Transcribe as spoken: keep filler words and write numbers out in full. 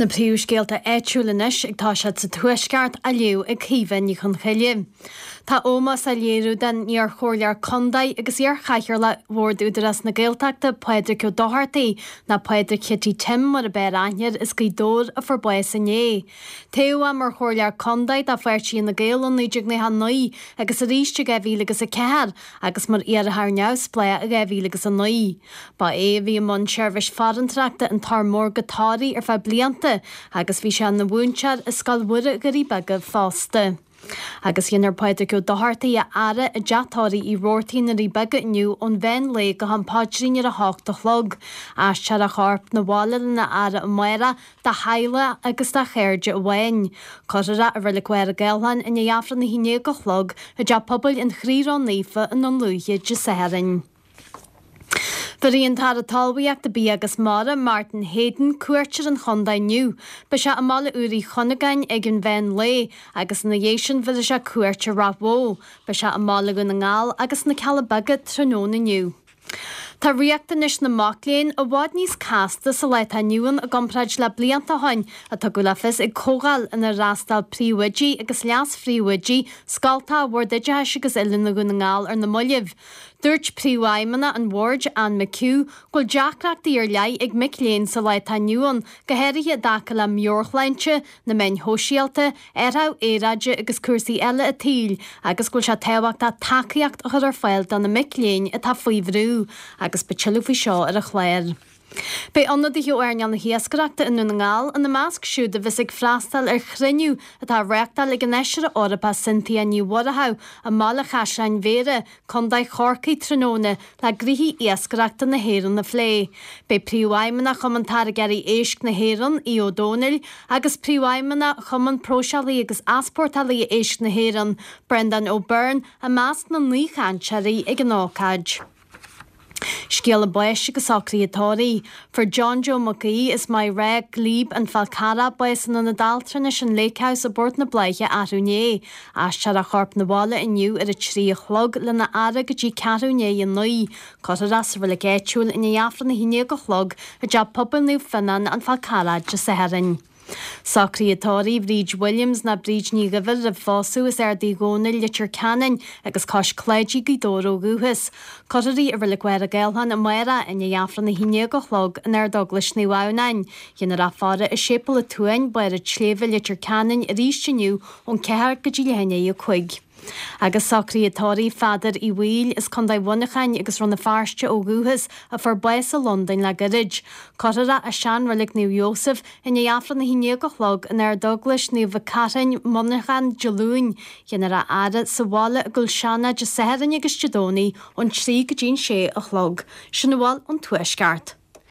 Na príomhscéalta áitiúla anois ag toiseacht sa Tuaisceart á léamh ag Caoimhe Ní Chonchoille. Tá ómós á léiriú don iar-chomhairleoir contae agus iar-chathaoirleach Bhord Údarás na Gaeltachta Pádraig Ó Dochartaigh, nó Pádraig Chití Tim mar ab fhearr aithne air, as Gaoth Dobhair a fuair bás inné. Toghadh é mar chomhairleoir contae do pháirtí Fhine Gael i naoi déag nócha a naoi agus arís i dhá mhíle agus a ceathair agus mar iarrthóir neamhspleách i dhá mhíle agus a naoi. Ba é a bhí i mbun seirbhís farantóireachta an Toir Mór go Toraigh ar feadh blianta agus bhí sé ina mhúinteoir i Scoil Mhuire Dhoirí Beaga fosta. Agus dhéanfar Pádraig Ó Dochartaigh a fhaire i dteach tórraimh Uí Robhartaigh i nDoirí Beaga inniu ón mheán lae go ham paidrín ar a hocht a chlog. Aistreofar a chorp 'na bhaile lena fhaire amárach dá theaghlach agus dá chairde amháin. Cuirfear é i Reilig Mhachaire Gathlán i ndiaidh Aifreann a haon déag a chlog i dTeach Pobail an Chroí Ró-Naofa i nDún Lúiche Dé Sathairn. Bhéarfaidh an tAire Talmhaíochta, Bia agus Mara, Martin Heydon, cuairt ar an chontae inniu. Beidh sé i mBaile Úr Uí Chuinneagáin ag an mheán lae agus ina dhiaidh sin bhéarfaidh sé cuairt ar Ráth Bhoth. Beidh sé i mBaile Dhún na nGall agus sna Cealla Beaga tráthnóna inniu. Tá riachtanais na mac léinn i bhfad níos casta sa lá atá inniu ann i gcomparáid le blianta ó shin, a tugadh le fios ag comhdháil inar fhreastail príomhoidí agus leas-phríomhoidí scoltacha Bhord Oideachais agus Oiliúna Dhún na nGall ar na mallaibh. Dúirt Príomhfheidhmeannach an Bhoird, Anne McHugh, go bhfuil deacrachtaí ar leith ag mic léinn sa lá atá inniu ann, go háirithe i dtaca le meabhairshláinte, na meáin shóisialta, athrú aeráide agus cúrsaí eile an tsaoil, agus go bhfuil sé tábhachtach tacaíocht a chur ar fáil do na mic léinn atá faoi bhrú. Agus beidh tuilleadh faoi seo ar an chlár. Beidh ionadaithe ó earnáil na hiascaireachta i nDún na nGall ina measc siúd a bheas ag freastal ar chruinniú atá á reáchtáil ag an Fheisire Eorpach Cynthia Ní Mhurchú i mBaile Chaisleáin Bhéarra, Contae Chorcaí tráthnóna le gnoithí iascaireachta na hÉireann a phlé. Beidh Príomhfheidhmeannach Chumann Táirgeoirí Éisc na hÉireann, Aodh Ó Domhnaill, agus Príomhfheidhmeannach Chumann Próiseálaithe agus Easpórtálaithe Éisc na hÉireann, Breandán Ó Beirn, i measc na n-aoichainteoirí ag an ócáid. Scéala báis agus socruithe tórraimh. Fuair John Joe Mac Aoidh as Maigh Rath, Glebe, An Fál Carrach, bás in Ionad Altranais an Lake House i bPort na Bláiche arú inné. Aistreofar a chorp 'na bhaile inniu ar a trí a chlog lena fhaire go dtí ceathrú i ndiaidh a naoi. Cuirfear é sa reilig áitiúil i ndiaidh Aifreann a haon déag a chlog i dTeach Pobail Naomh Fionnán, An Fál Carrach, Dé Sathairn. Socruithe tórraimh Bhríd Williams ná Bríd Ní Dhuibhir roimh phósadh as Ard Uí Dhónaill, Leitir Ceanainn agus Cois Cláidí, Gaoth Dobhair ó dhúchas. Cuirfear í i Reilig Mhachaire Gathlán amárach i ndiaidh Aifreann a haon déag a chlog in Ardeaglais Naomh Adhamhnáin. Dhéanfar a faire i Séipéal an tSuain, Barr an tSléibhe, Leitir Ceanainn arís inniu ón ceathair go dtí leath i ndiaidh a cúig. Agus socruithe tórraimh Pheadair Uí Bhaoill as Contae Mhuineacháin agus Rann na Feirste ó dhúchas a fuair bás i Londain le gairid. Cuirfear é i seanreilig Naomh Iósaf i ndiaidh Aifreann a haon déag a chlog in Ardeaglais Naomh Mhic Carthainn, Muineachán, Dé Luain. Dhéanfar a fhaire sa bhaile i gCúil Seanaid Dé Sathairn agus Dé Domhnaigh ón trí go dtí an sé a chlog. Sin a bhfuil ón Tuaisceart.